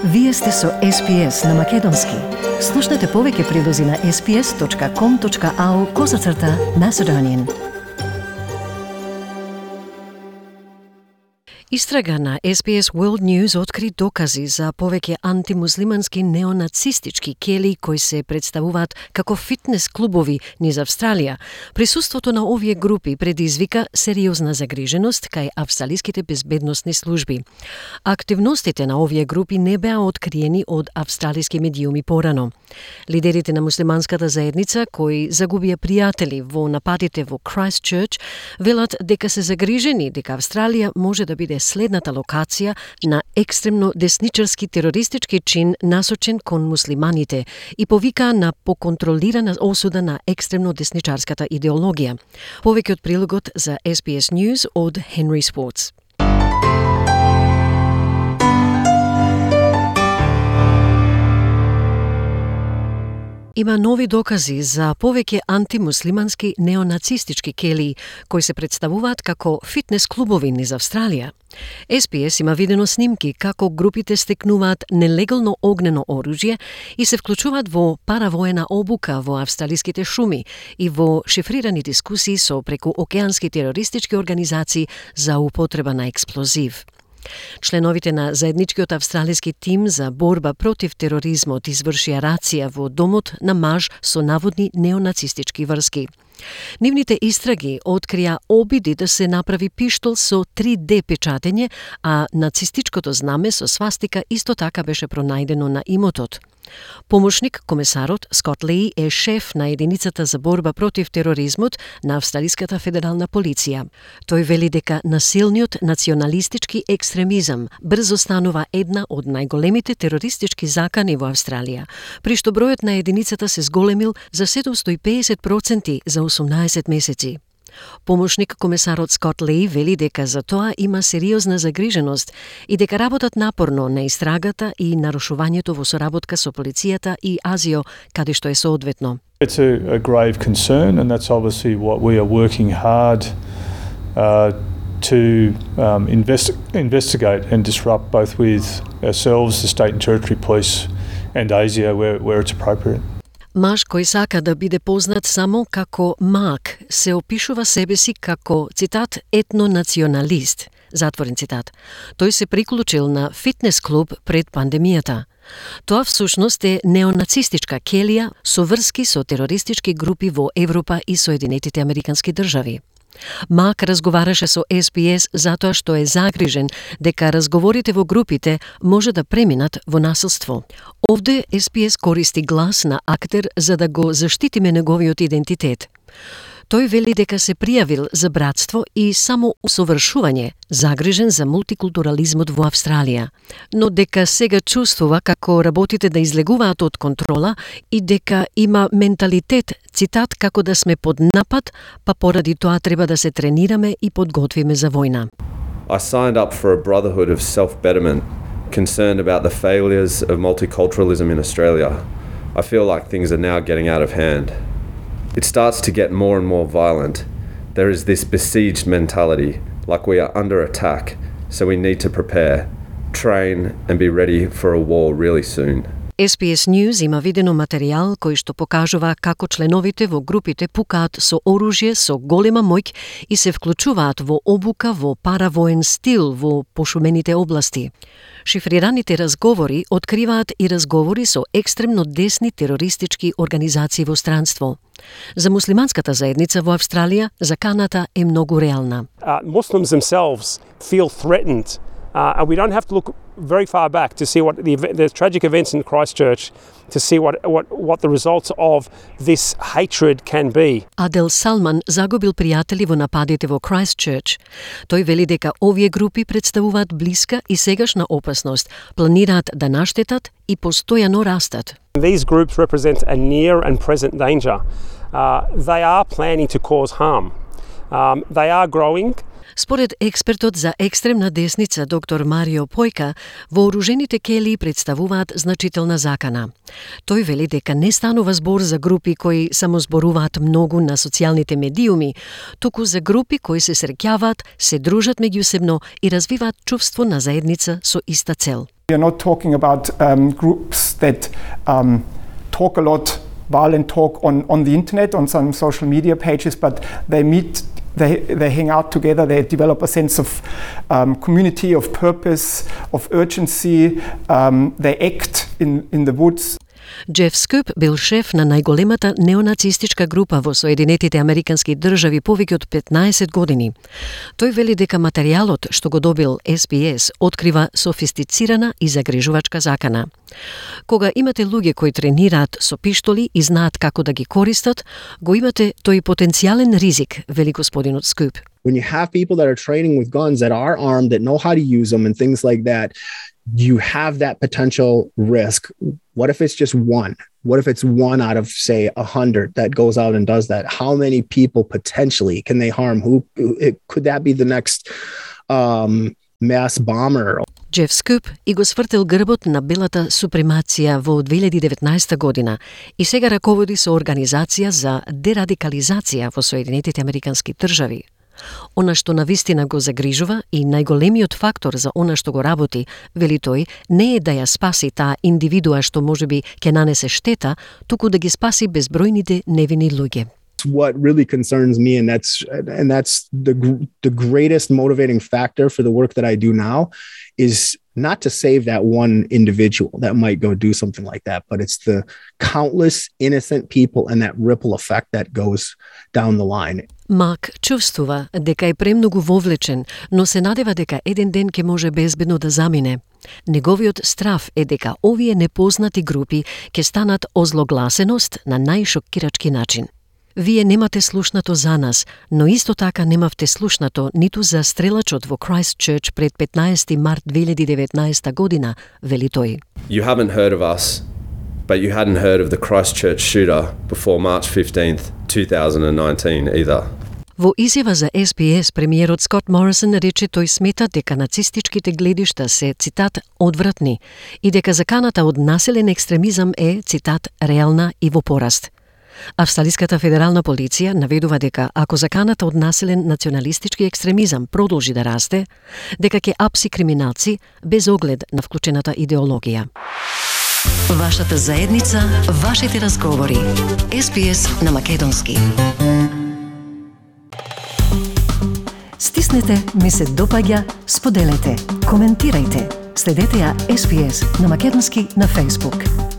Вие сте со SPS на Македонски. Слушнете повеќе прилози на sps.com.au/Macedonian. Истрага на SPS World News откри докази за повеќе антимуслимански неонацистички кели кои се представуваат како фитнес клубови низ Австралија. Присуството на овие групи предизвика сериозна загриженост кај австралиските безбедносни служби. Активностите на овие групи не беа откриени од австралиски медиуми порано. Лидерите на муслиманската заедница кои загубија пријатели во нападите во Christchurch велат дека се загрижени дека Австралија може да биде следната локација на екстремно десничарски терористички чин насочен кон муслиманите и повикаа на поконтролирана осуда на екстремно десничарската идеологија. Повеќе од прилогот за SBS News од Henry Swartz. Има нови докази за повеќе антимуслимански неонацистички кели кои се представуваат како фитнес клубови низ Австралија. SPS има видено снимки како групите стекнуваат нелегално огнено оружје и се вклучуваат во паравоена обука во австралиските шуми и во шифрирани дискусии со прекуокеански терористички организации за употреба на експлозив. Членовите на заедничкиот австралиски тим за борба против тероризмот извршија рација во домот на маж со наводни неонацистички врски. Нивните истраги открија обиди да се направи пиштол со 3D печатење, а нацистичкото знаме со свастика исто така беше пронајдено на имотот. Помошник комесарот Скот Леј е шеф на единицата за борба против тероризмот на Австралиската федерална полиција. Тој вели дека насилниот националистички екстремизам брзо станува една од најголемите терористички закани во Австралија, при што бројот на единицата се зголемил за 750% за 18 месеци. Помошник комесарот Скот Леј вели дека за тоа има сериозна загриженост и дека работат напорно на истрагата и нарушувањето во соработка со полицијата и Азио, каде што е соодветно. It's a grave concern, and that's obviously what we are working hard to investigate and disrupt, both with ourselves, the state and territory police, and ASIO where it's appropriate. Маж кој сака да биде познат само како Мак се опишува себе си како, цитат, етнонационалист, затворен цитат. Тој се приклучил на фитнес клуб пред пандемијата. Тоа всушност е неонацистичка келија со врски со терористички групи во Европа и Соединетите Американски држави. Мак разговараше со SPS затоа што е загрижен дека разговорите во групите може да преминат во насилство. Овде SPS користи глас на актер за да го заштитиме неговиот идентитет. Тој вели дека се пријавил за братство и само усовршување, загрижен за мултикултурализмот во Австралија, но дека сега чувствува како работите да излегуваат од контрола и дека има менталитет, цитат, како да сме под напад, па поради тоа треба да се тренираме и подготвиме за војна. I signed up for a brotherhood of self-betterment, concerned about the failures of multiculturalism in Australia. I feel like things are now getting out of hand. It starts to get more and more violent. There is this besieged mentality, like we are under attack, so we need to prepare, train and be ready for a war really soon. SPS News има видено материјал кој што покажува како членовите во групите пукаат со оружје со голема моќ и се вклучуваат во обука во паравоен стил во пошумените области. Шифрираните разговори откриваат и разговори со екстремно десни терористички организации во странство. За муслиманската заедница во Австралија, заканата е многу реална. Muslims themselves feel threatened, and we don't have to look very far back to see what the tragic events in Christchurch, to see what the results of this hatred can be. Адел Салман загубил пријатели во нападите во Christchurch. Тој вели дека овие групи представуваат блиска и сегашна опасност, планираат да наштетат и постојано растат. These groups represent a near and present danger. They are planning to cause harm. They are growing. Според експертот за екстремна десница доктор Марио Појка, вооружените келии представуваат значителна закана. Тој вели дека не станува збор за групи кои само зборуваат многу на социјалните медиуми, туку за групи кои се среќаваат, се дружат меѓусебно и развиваат чувство на заедница со иста цел. We are not talking about groups that talk a lot, violent talk on the internet, on some social media pages, but they meet, they hang out together, they develop a sense of community, of purpose, of urgency, they act in the woods. Джеф Скуп бил шеф на најголемата неонацистичка група во Соединетите Американски држави повеќе од 15 години. Тој вели дека материјалот што го добил SPS открива софистицирана и загрижувачка закана. Кога имате луѓе кои тренираат со пиштоли и знаат како да ги користат, го имате тој потенцијален ризик, вели господинот Скуп. When you have people that are training with guns, that are armed, that know how to use them and things like that, you have that potential risk. What if it's just one? What if it's one out of, say, 100 that goes out and does that? How many people potentially can they harm? Could that be the next mass bomber? Джеф Скуп и го свртел грбот на белата супремација во 2019 година и сега раководи со Организација за дерадикализација во Соединетите Американски држави. Она што навистина го загрижува и најголемиот фактор за она што го работи, вели тој, не е да ја спаси таа индивидуа што можеби ќе нанесе штета, туку да ги спаси безбројните невини луѓе. What really concerns me, and that's the greatest motivating factor for the work that I do now, is not to save that one individual that might go do something like that, but it's the countless innocent people and that ripple effect that goes down the line. Мак чувствува дека е премногу вовлечен, но се надева дека еден ден ќе може безбедно да замине. Неговиот страф е дека овие непознати групи ќе станат озлогласеност на најшокирачки начин. Вие немате слушнато за нас, но исто така немавте слушнато ниту за стрелачот во Christchurch пред 15 март 2019 година, вели тој. You haven't heard of us, but you hadn't heard of the Christchurch shooter before March 15th, 2019 either. Во изјава за SPS, премиерот Скот Морисон рече тој смета дека нацистичките гледишта се, цитат, одвратни и дека заканата од насилен екстремизам е, цитат, реална и во пораст. Австралиската федерална полиција наведува дека ако заканата од насилен националистички екстремизам продолжи да расте, дека ќе апси криминалци без оглед на вклучената идеологија. Вашата заедница, вашите разговори. SPS на македонски. Стиснете, ми се допаѓа, споделете, коментирајте. Следете ја SPS на македонски на Facebook.